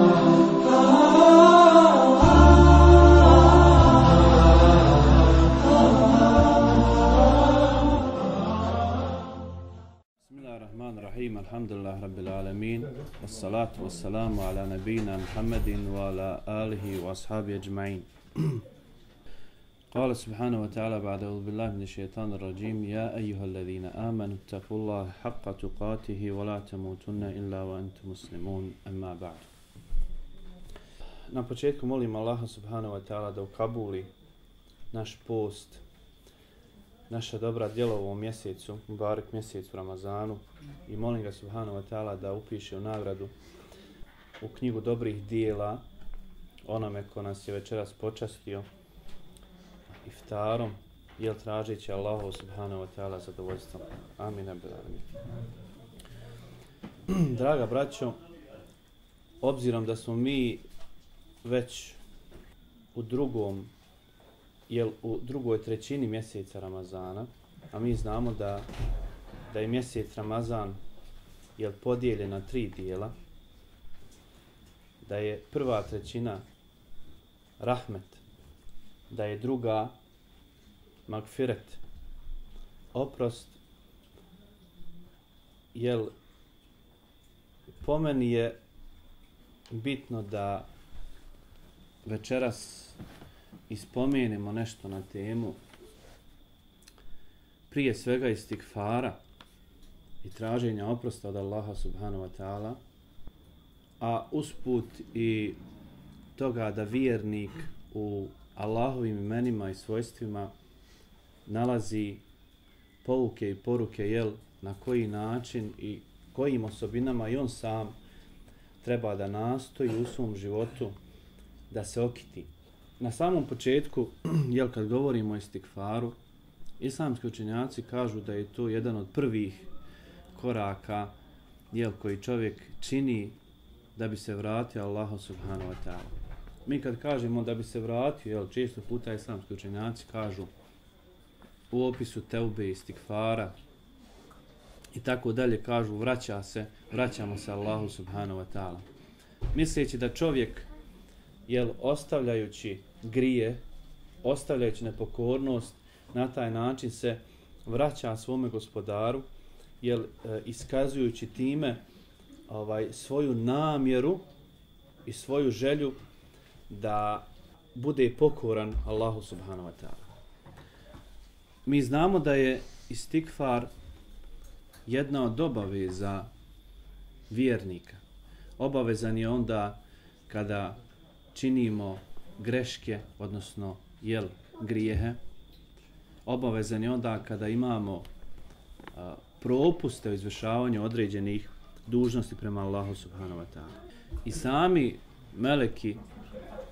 Bismillahirrahmanirrahim. Alhamdulillah rabbil alamin. Wassalatu wassalamu ala nabina Muhammadin wa ala alihi wa ashabihi ajma'in. قال سبحانه وتعالى بعد أعوذ بالله من الشيطان الرجيم يا أيها الذين آمنوا اتقوا الله حق تقاته ولا تموتن إلا وأنتم مسلمون أما بعد. Na početku molim Allaha subhanahu wa ta'ala da ukabuli naš post, naša dobra djela u ovom mjesecu, mubarek mjesecu Ramazanu, i molim ga subhanahu wa ta'ala da upiše u nagradu u knjigu dobrih dijela onome ko nas je večeras počastio iftarom, jel tražeći Allahu subhanahu wa ta'ala zadovoljstvo. Amin. Draga braćo, obzirom da smo mi već u drugoj trećini mjeseca Ramazana, a mi znamo da je mjesec Ramazan podijeljen na 3 dijela, da je prva trećina rahmet, da je druga magfiret, oprost, po meni je bitno da večeras ispomenemo nešto na temu prije svega istikfara i traženja oprosta od Allaha subhanahu wa ta'ala, a usput i toga da vjernik u Allahovim imenima i svojstvima nalazi pouke i poruke na koji način i kojim osobinama i on sam treba da nastoji u svom životu da se okiti. Na samom početku, kad govorimo o istikfaru, islamski učenjaci kažu da je to jedan od prvih koraka koji čovjek čini da bi se vratio Allahu subhanahu wa ta'ala. Mi kad kažemo da bi se vratio, često puta islamski učenjaci kažu u opisu teube, istikfara i tako dalje, kažu vraćamo se Allahu subhanahu wa ta'ala. Misleći da čovjek ostavljajući grije, ostavljajući nepokornost, na taj način se vraća svome gospodaru, iskazujući time svoju namjeru i svoju želju da bude pokoran Allahu subhanahu wa ta'ala. Mi znamo da je istikfar jedna od obaveza vjernika. Obavezan je onda kada činimo greške, odnosno grijehe. Obavezan je onda kada imamo propuste u izvršavanju određenih dužnosti prema Allahu subhanahu wa ta'ala. I sami meleki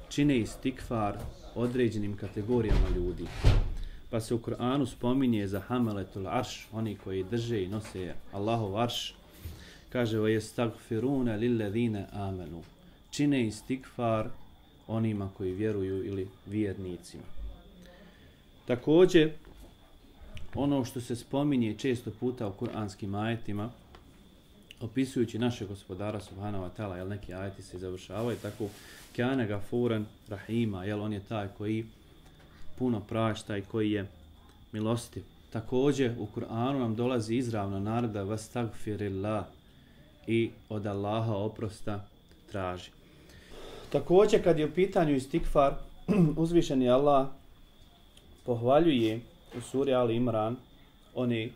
čine istikfar određenim kategorijama ljudi. Pa se u Kur'anu spominje za hameletul arš, oni koji drže i nose Allahov arš, kaže wa yastagfiruna lilladhina amanu. Čine istikfar onima koji vjeruju ili vjernicima. Također, ono što se spominje često puta u kuranskim ajetima, opisujući našeg gospodara subhanahu wa ta'ala, neki ajeti se završavaju tako, kana gafuran rahima, on je taj koji puno prašta i koji je milostiv. Također u Kur'anu nam dolazi izravna naredba vastagfirillah, i od Allaha oprosta traži. Također kad je u pitanju istikfar, uzvišeni Allah pohvaljuje u suri Ali Imran oni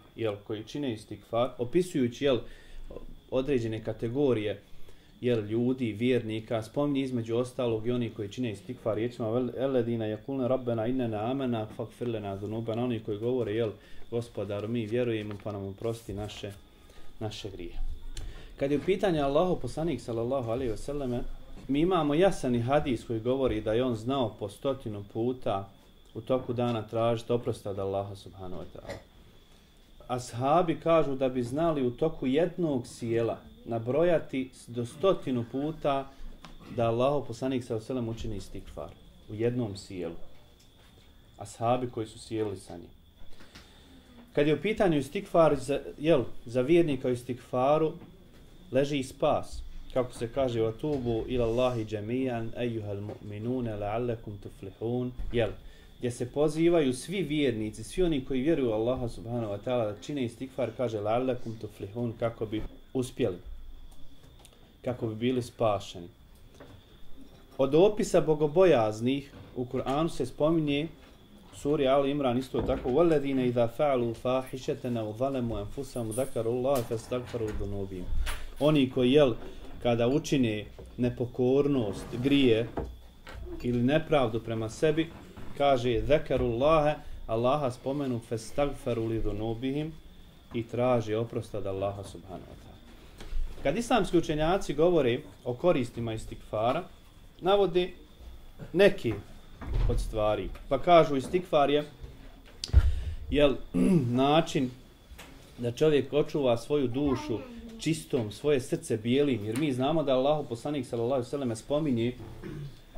koji čine istikfar, opisujući određene kategorije ljudi, vjernika, spominje između ostalog i oni koji čine istikfar riječima eledina yakulna rabbana innana amana faghfir lana dhunubana, oni koji govore gospodaru, mi vjerujemo pa nam oprosti naše grije. Kad je u pitanju Allahov poslanik sallallahu alejhi ve selleme, mi imamo jasan hadis koji govori da je on znao po 100 puta u toku dana tražiti oprosta od Allaha subhanahu wa ta'ala. Ashabi kažu da bi znali u toku jednog sjela nabrojati do 100 puta da Allahov poslanik sallallahu alejhi ve sellem učini istikfar u jednom sjelu. Ashabi koji su sjeli sa njim. Kad je u pitanju istikfar za vjernika u istikfaru leži i spas. kako se kaže وَتُوبُوا إِلَى اللَّهِ جَمِيعًا أَيُّهَا الْمُؤْمِنُونَ لَعَلَّكُمْ تُفْلِحُونَ, jel, gdje se pozivaju svi vjernici, svi oni koji vjeruju Allaha subhanahu wa ta'ala da čine istikfar, kaže لَعَلَّكُمْ تُفْلِحُونَ, kako bi uspjeli, kako bi bili spašeni. Od opisa bogobojaznih u Kur'anu se spominje suri Ali Imran isto tako وَالَّذِينَ إِذَا فَعَلُوا فَاحِشَةً أَوْ ظَلَمُوا أَنفُسَهُمْ ذَكَرُوا اللَّهَ فَاسْتَغْفَرُوا لِذُنُوبِهِمْ. Oni koji, jel, kada učine nepokornost, grije ili nepravdu prema sebi, kaže zakarullaha, Allaha spomenu fastagfaru li dhunubihim, i traži oprost od Allaha subhanahu wa ta'ala. Kad islamski učenjaci govore o koristima istikfara, navode neki od stvari. Pa kažu istikfar je način da čovjek očuva svoju dušu čistom, svoje srce bijelim, jer mi znamo da Allahu poslanik sallallahu alejhi ve selleme spominje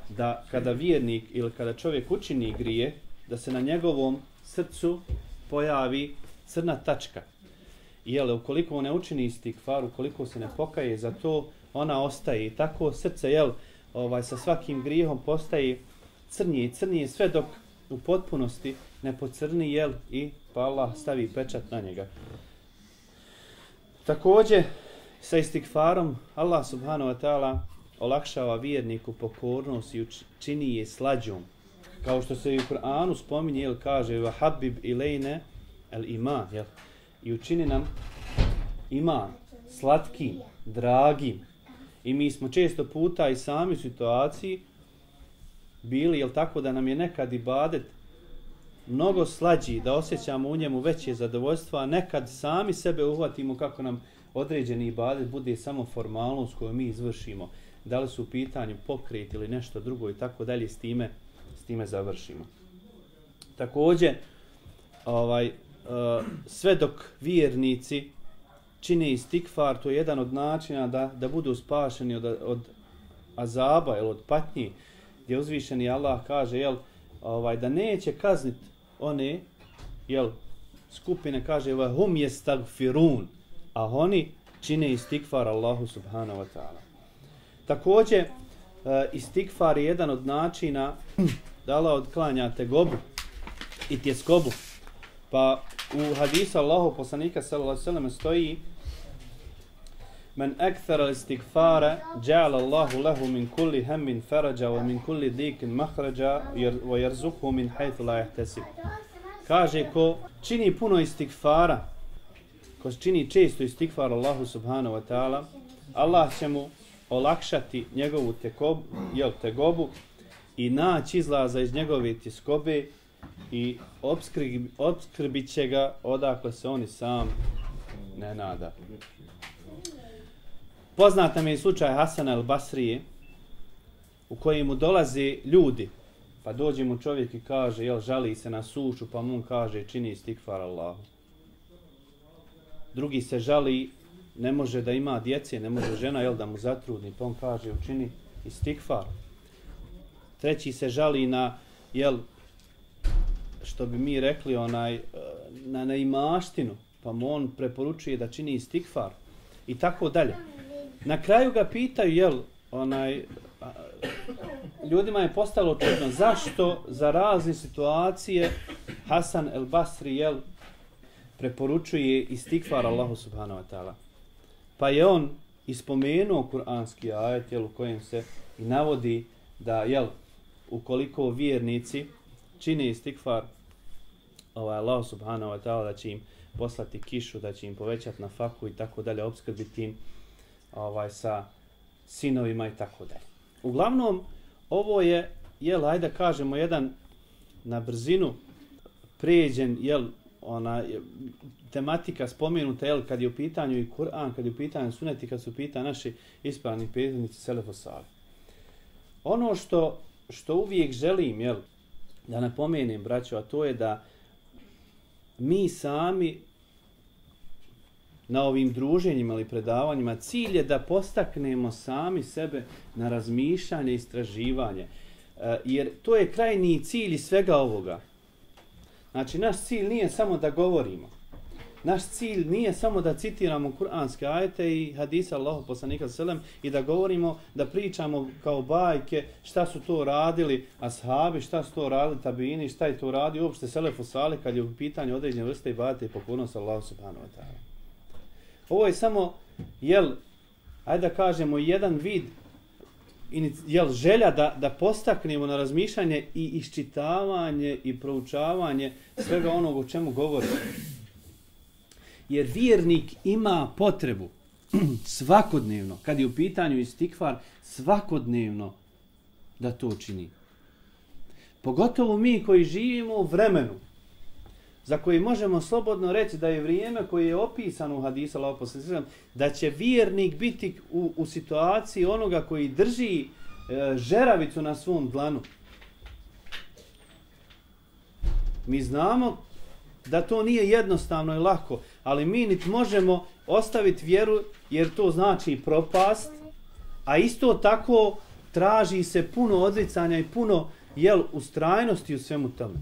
da kada vjernik ili kada čovjek učini grije, da se na njegovom srcu pojavi crna tačka. I ukoliko ne učini istikfar, ukoliko se ne pokaje za to, ona ostaje. I tako srce sa svakim grijehom postaje crnije i crnije, sve dok u potpunosti ne pocrni i pa Allah stavi pečat na njega. Također, sa istikfarom Allah subhanahu wa ta'ala olakšava vjerniku pokornost i čini je slađom. Kao što se i u Kur'anu spominje, kaže وَحَبِّبْ إِلَيْنَ الْإِمَانِ, i učini nam iman slatkim, dragim. I mi smo često puta i sami u situaciji bili, tako da nam je nekad ibadet mnogo slađi, da osjećamo u njemu veće zadovoljstvo, a nekad sami sebe uhvatimo kako nam određeni ibadet bude samo formalnost koju mi izvršimo. Da li su u pitanju pokret ili nešto drugo i tako dalje, s time završimo. Također, sve dok vjernici čine istikfar, to je jedan od načina da budu spašeni od azaba ili od patnji, gdje uzvišeni Allah kaže da neće kazniti one skupine, kaže hum yestagfirun, a oni čine istikfar Allahu subhanahu wa ta'ala. Također, istikfar je jedan od načina da Allah odklanja tegobu i tjeskobu. Pa u hadisu Allahu poslanika sallallahu alejhi ve sellem stoji: "Men akthara al-istighfara ja'ala Allahu lahu min kulli hammin faraja wa min kulli dhiqin makhraja wa yarzuquhu min haythu la yahtasib." Kaže, ko čini puno istigfara, ko čini često istigfar Allahu subhanahu wa ta'ala, Allah će mu olakšati njegovu tegobu i naći izlaza iz njegove tjeskobe i opskrbit će ga odakle se on i sam ne nada. Poznat nam je slučaj Hasana al-Basrije, u kojemu dolaze ljudi, pa dođe mu čovjek i kaže, žali se na sušu, pa mu kaže, čini istikfar Allahu. Drugi se žali, ne može da ima djece, ne može žena da mu zatrudni, pa on kaže, učini istikfar. Treći se žali na, što bi mi rekli, na neimaštinu, pa mu on preporučuje da čini istikfar i tako dalje. Na kraju ga pitaju, ljudima je postalo čudno zašto za razne situacije Hasan el-Basri preporučuje istikfar Allahu subhanahu wa ta'ala. Pa je on ispomenuo kuranski ajet u kojem se i navodi da ukoliko vjernici čine istikfar Allahu subhanahu wa ta'ala, da će im poslati kišu, da će im povećati nafaku i tako dalje, opskrbiti im sa sinovima i tako dalje. Uglavnom, ovo je, ajde kažemo, jedan na brzinu pređen, tematika spomenuta, kad je u pitanju i Kur'an, kad je u pitanju sunet i kad su u pitanju naši ispravni prethodnici Selefu Salih. Ono što uvijek želim, da napomenem, braćo, a to je da mi sami na ovim druženjima ili predavanjima, cilj je da postaknemo sami sebe na razmišljanje i istraživanje. Jer to je krajnji cilj svega ovoga. Znači, naš cilj nije samo da govorimo, Naš cilj nije samo da citiramo kuranske ajete i hadisa Allahov poslanika sallam i da govorimo, da pričamo kao bajke šta su to radili ashabi, šta su to radili tabini, šta je to radio uopšte selefu salih kad je u pitanju određene vrste ibadeta i pokornosti Allahu subhanahu wa ta'ala. Ovo je samo, ajde da kažemo, jedan vid želja da postaknemo na razmišljanje i iščitavanje i proučavanje svega onog o čemu govorimo. Jer vjernik ima potrebu svakodnevno, kad je u pitanju istikfar, svakodnevno da to čini. Pogotovo mi koji živimo u vremenu za koji možemo slobodno reći da je vrijeme koje je opisano u hadisu Allahov poslanika sallallahu alejhi ve sellem, da će vjernik biti u situaciji onoga koji drži žeravicu na svom dlanu. Mi znamo da to nije jednostavno i lako, ali mi niti možemo ostaviti vjeru jer to znači propast, a isto tako traži se puno odricanja i puno ustrajnosti u svemu tome.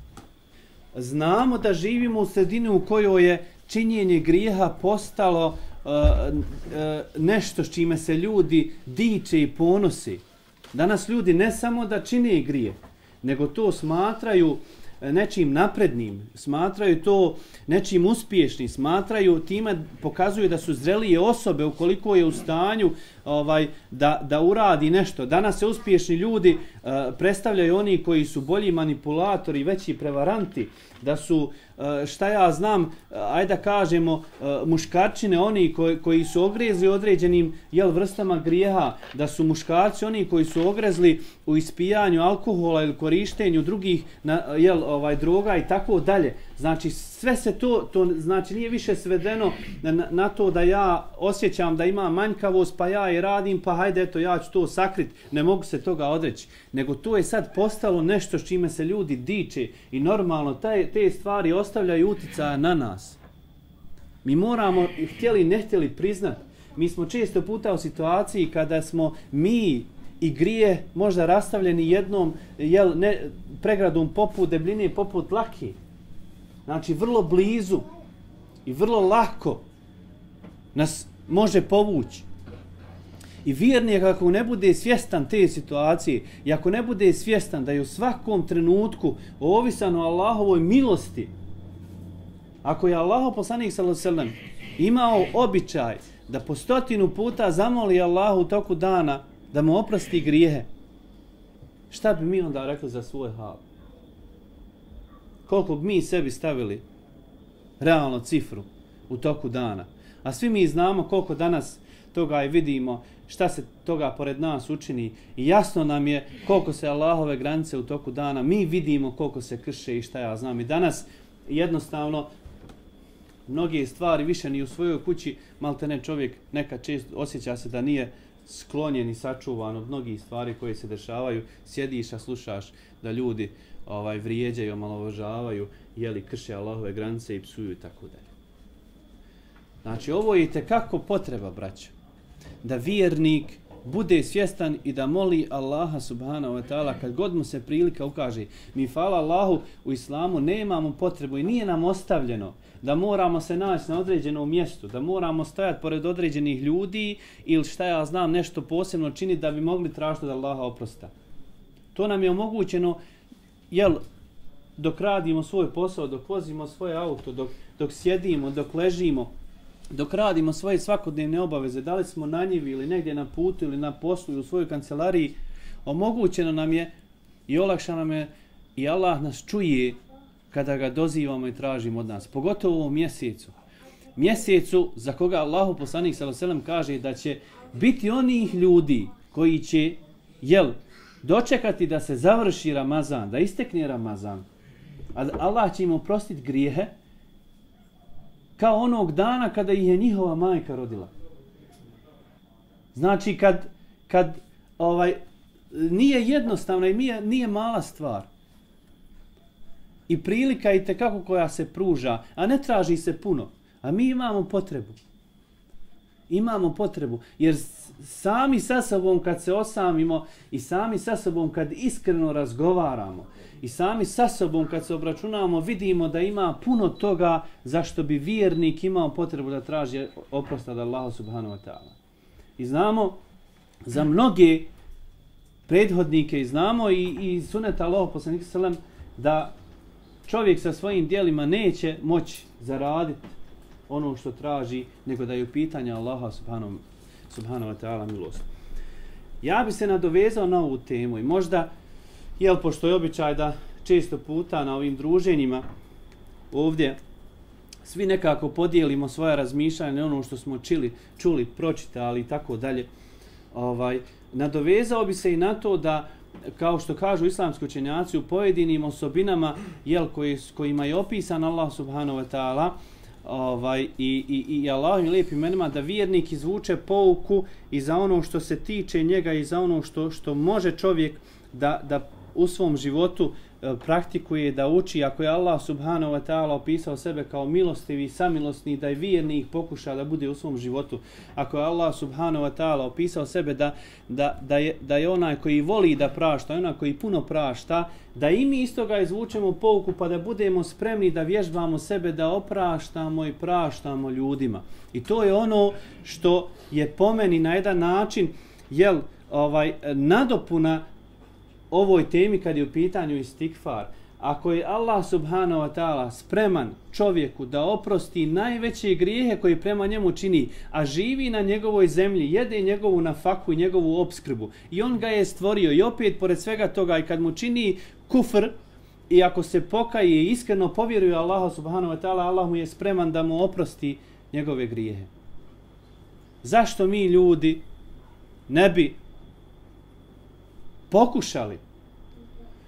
Znamo da živimo u sredini u kojoj je činjenje grijeha postalo nešto s čime se ljudi diče i ponosi. Danas ljudi ne samo da čine grije, nego to smatraju nečim naprednim, smatraju to nečim uspješnim, smatraju time, pokazuju da su zrelije osobe ukoliko je u stanju da uradi nešto. Danas se uspješni ljudi predstavljaju oni koji su bolji manipulatori, veći prevaranti, da su, šta ja znam, ajde da kažemo, muškarčine oni koji su ogrezli određenim vrstama grijeha, da su muškarci oni koji su ogrezli u ispijanju alkohola ili korištenju drugih droga i tako dalje. Znači sve se to znači nije više svedeno na to da ja osjećam da ima manjkavost pa ja i radim pa hajde eto ja ću to sakriti, ne mogu se toga odreći, nego to je sad postalo nešto s čime se ljudi diče i normalno te stvari ostavljaju uticaja na nas. Mi moramo, htjeli ne htjeli priznati, mi smo često puta u situaciji kada smo mi i grije možda rastavljeni jednom pregradom poput debljine, poput lake. Znači vrlo blizu i vrlo lako nas može povući. I vjernik ako ne bude svjestan te situacije i ako ne bude svjestan da je u svakom trenutku ovisan o Allahovoj milosti, ako je Allahov poslanik sallallahu alejhi ve sellem imao običaj da po 100 puta zamoli Allahu u toku dana da mu oprosti grijehe, šta bi mi onda rekli za svoj hal? Koliko bi mi sebi stavili realno cifru u toku dana? A svi mi znamo koliko danas toga i vidimo, šta se toga pored nas učini i jasno nam je koliko se Allahove granice u toku dana, mi vidimo koliko se krše i šta ja znam. I danas jednostavno mnoge stvari više ni u svojoj kući, maltene čovjek nekad često osjeća se da nije sklonjen i sačuvan od mnogih stvari koje se dešavaju, sjediš a slušaš da ljudi vrijeđaju, omalovažavaju, krše Allahove granice i psuju i tako dalje. Znači ovo je itekako potreba, braćo, da vjernik bude svjestan i da moli Allaha subhanahu wa ta'ala kad god mu se prilika ukaže. Mi hvala Allahu u islamu nemamo potrebu i nije nam ostavljeno da moramo se naći na određenom mjestu, da moramo stajati pored određenih ljudi ili šta ja znam nešto posebno činiti da bi mogli tražiti od Allaha oprosta. To nam je omogućeno dok radimo svoj posao, dok vozimo svoje auto, dok sjedimo, dok ležimo, dok radimo svoje svakodnevne obaveze, da li smo na njivi ili negdje na putu ili na poslu ili u svojoj kancelariji, omogućeno nam je i olakšano nam je i Allah nas čuje kada ga dozivamo i tražimo od nas. Pogotovo u ovom mjesecu. Mjesecu za koga Allahu poslanik sallallahu alejhi ve sellem kaže da će biti onih ljudi koji će dočekati da se završi Ramazan, da istekne Ramazan. A Allah će im oprostiti grijehe kao onog dana kada ih je njihova majka rodila. Znači kad nije jednostavna i nije mala stvar. I prilika i tekako koja se pruža, a ne traži se puno. A mi imamo potrebu. Imamo potrebu, jer sami sa sobom kad se osamimo i sami sa sobom kad iskreno razgovaramo i sami sa sobom kad se obračunamo vidimo da ima puno toga zašto bi vjernik imao potrebu da traži oprost od Allaha subhanahu wa ta'ala. I znamo za mnoge prethodnike i znamo i suneta Allaha poslanika sallam da čovjek sa svojim djelima neće moći zaraditi ono što traži, nego da je u pitanju Allaha subhanahu wa ta'ala milost. Ja bi se nadovezao na ovu temu i možda, pošto je običaj da često puta na ovim druženjima ovdje svi nekako podijelimo svoje razmišljanje, ono što smo čuli, pročitali i tako dalje. Nadovezao bi se i na to da, kao što kažu islamski učenjaci, u pojedinim osobinama kojima je opisan Allah subhanahu wa ta'ala i Allahovim lijepim imenima, da vjernik izvuče pouku i za ono što se tiče njega i za ono što može čovjek da u svom životu praktikuje, da uči. Ako je Allah subhanahu wa ta'ala opisao sebe kao milostivi i samilosni, da je vjernik pokuša da bude u svom životu. Ako je Allah subhanahu wa ta'ala opisao sebe da je onaj koji voli da prašta, onaj koji puno prašta, da i mi iz toga izvučemo pouku pa da budemo spremni da vježbamo sebe da opraštamo i praštamo ljudima. I to je ono što je po meni na jedan način nadopuna ovoj temi kad je u pitanju istikfar. Ako je Allah subhanahu wa ta'ala spreman čovjeku da oprosti najveće grijehe koje prema njemu čini, a živi na njegovoj zemlji, jede njegovu nafaku i njegovu opskrbu, i on ga je stvorio, i opet pored svega toga i kad mu čini kufr i ako se pokaje i iskreno povjeruje Allahu subhanahu wa ta'ala, Allah mu je spreman da mu oprosti njegove grijehe. Zašto mi ljudi ne bi pokušali?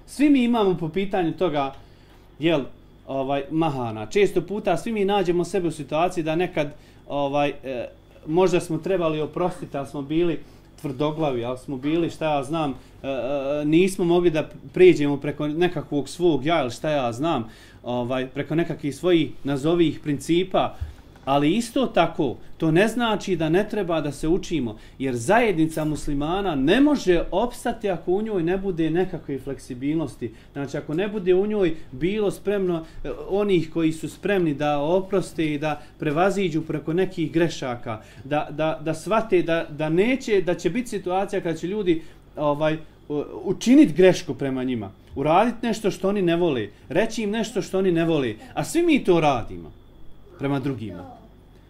Svi mi imamo po pitanju toga mahana. Često puta svi mi nađemo sebe u situaciji da nekad možda smo trebali oprostiti, ali smo bili tvrdoglavi, ali smo bili, šta ja znam, nismo mogli da prijeđemo preko nekakvog svog ja, ili šta ja znam, preko nekakvih svojih nazovih principa. Ali isto tako, to ne znači da ne treba da se učimo, jer zajednica muslimana ne može opstati ako u njoj ne bude nekakve fleksibilnosti. Znači, ako ne bude u njoj bilo spremno onih koji su spremni da oproste i da prevaziđu preko nekih grešaka, da shvate da će biti situacija kada će ljudi učiniti grešku prema njima, uraditi nešto što oni ne vole, reći im nešto što oni ne vole, a svi mi to radimo prema drugima.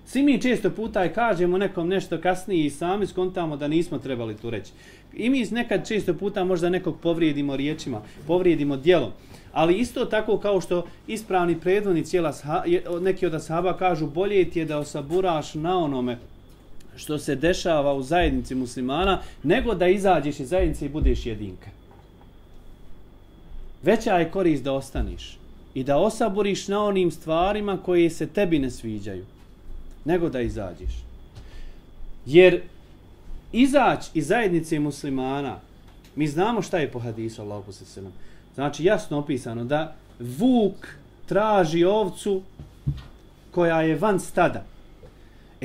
Svi mi često puta i kažemo nekom nešto kasnije i sami skontamo da nismo trebali to reći. I mi nekad često puta možda nekog povrijedimo riječima, povrijedimo djelom. Ali isto tako kao što ispravni predvodnici, neki od ashaba kažu, bolje ti je da osaburaš na onome što se dešava u zajednici muslimana, nego da izađeš iz zajednice i budeš jedinka. Veća je korist da ostaniš i da osaburiš na onim stvarima koje se tebi ne sviđaju, nego da izađeš. Jer izaći iz zajednice muslimana, mi znamo šta je po hadisu Allahu poslanika sallallahu alejhi ve sellem. Znači jasno opisano da vuk traži ovcu koja je van stada.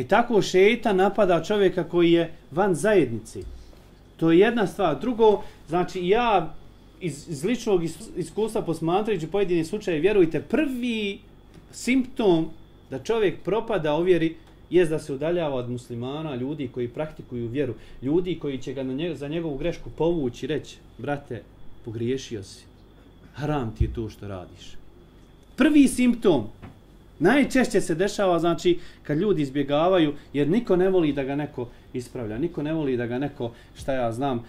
Tako šejtan napada čovjeka koji je van zajednice. To je jedna stvar. Drugo, znači ja iz ličnog iskustva posmatrajući pojedine slučaje, vjerujte, prvi simptom da čovjek propada u vjeri jest da se udaljava od muslimana, ljudi koji praktikuju vjeru, ljudi koji će ga za njegovu grešku povući i reći, brate, pogriješio si, haram ti je to što radiš. Prvi simptom najčešće se dešava, znači, kad ljudi izbjegavaju, jer niko ne voli da ga neko ispravlja, niko ne voli da ga neko, šta ja znam,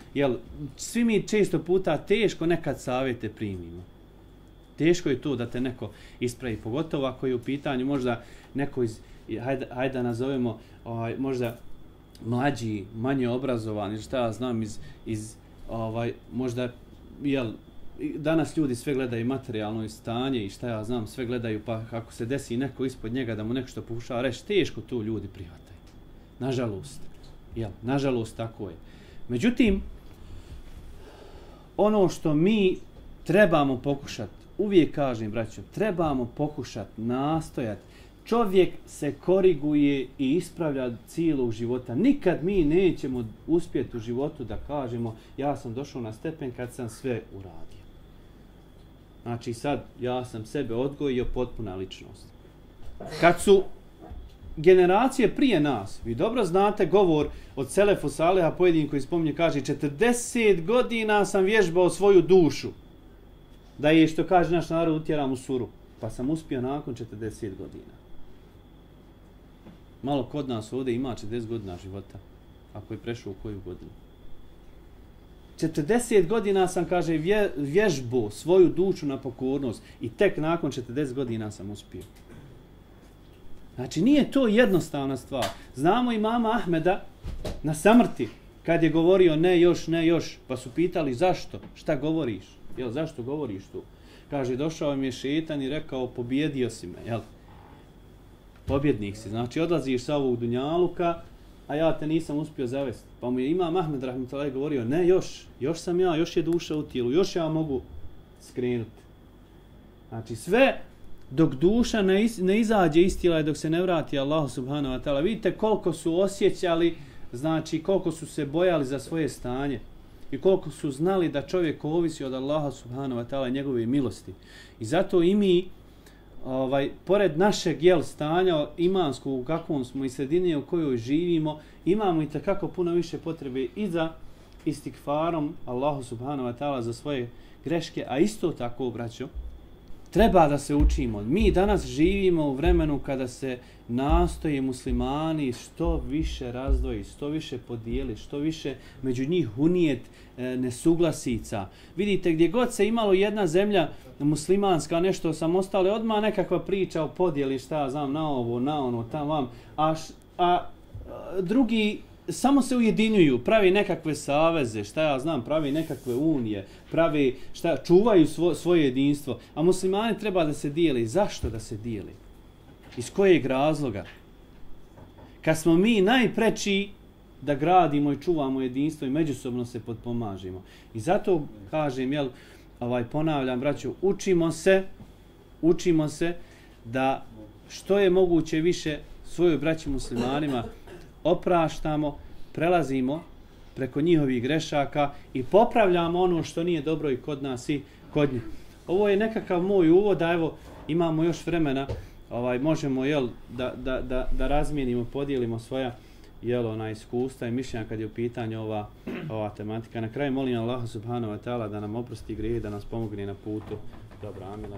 svi mi često puta teško nekad savjete primimo. Teško je to da te neko ispravi, pogotovo ako je u pitanju možda neko hajde da nazovemo možda mlađi, manje obrazovani, šta ja znam, možda, danas ljudi sve gledaju materijalno stanje i šta ja znam, sve gledaju, pa ako se desi neko ispod njega da mu nešto pokušava reći, teško to ljudi prihvataju. Nažalost. Nažalost, tako je. Međutim, ono što mi trebamo pokušati, uvijek kažem, braćo, trebamo pokušati, nastojati, čovjek se koriguje i ispravlja cijelog života. Nikad mi nećemo uspjeti u životu da kažemo ja sam došao na stepen kad sam sve uradio. Znači sad ja sam sebe odgojio, potpuna ličnost. Kad su generacije prije nas, vi dobro znate govor od Selefu Saleha, pojedin koji spominje, kaže 40 godina sam vježbao svoju dušu da je, što kaže naš narod, utjeram u suru. Pa sam uspio nakon 40 godina. Malo kod nas ovdje ima 40 godina života, ako je prešao u koju godinu. 40 godina sam, kaže, vježbao svoju dušu na pokornost i tek nakon 40 godina sam uspio. Znači, nije to jednostavna stvar. Znamo i mama Ahmeda na samrti, kad je govorio ne još, pa su pitali zašto, šta govoriš, jel, zašto govoriš tu? Kaže, došao mi je šetan i rekao, pobjedio si me, jel? Pobjednik si, znači odlaziš sa ovog dunjaluka, a ja te nisam uspio zavesti. Pa mu je imam Ahmed rahmetullahi govorio, ne još sam ja, još je duša u tijelu, još ja mogu skrenuti. Znači sve dok duša ne izađe iz tijela i dok se ne vrati Allahu subhanahu wa ta'ala, vidite koliko su osjećali, znači koliko su se bojali za svoje stanje i koliko su znali da čovjek ovisi od Allaha subhanahu wa ta'ala i njegove milosti. I zato i mi, pored našeg stanja imanskog u kakvom smo i sredini u kojoj živimo, imamo i takako puno više potrebe i za istikfarom Allahu subhanahu wa ta'ala za svoje greške, a isto tako, braćo, treba da se učimo. Mi danas živimo u vremenu kada se nastoje muslimani što više razdvoji, što više podijeli, što više među njih unijet nesuglasica. Vidite, gdje god se imalo jedna zemlja muslimanska, nešto samostale, odmah nekakva priča o podijeli, šta ja znam, na ovo, na ono, tam vam, a drugi samo se ujedinjuju, pravi nekakve saveze, šta ja znam, pravi nekakve unije, pravi, čuvaju svoje jedinstvo, a muslimani treba da se dijeli. Zašto da se dijeli? Iz kojeg razloga? Kad smo mi najpreči da gradimo i čuvamo jedinstvo i međusobno se potpomažimo. I zato kažem, ponavljam, braćo, učimo se da što je moguće više svojoj braći muslimanima opraštamo, prelazimo preko njihovih grešaka i popravljamo ono što nije dobro i kod nas i kod njih. Ovo je nekakav moj uvod, a evo imamo još vremena, možemo da razmijenimo, podijelimo svoja iskustva i mišljenja kad je u pitanju ova tematika. Na kraju molim Allaha subhanahu wa ta'ala da nam oprosti grijehe, da nas pomogne na putu dobra. Amin.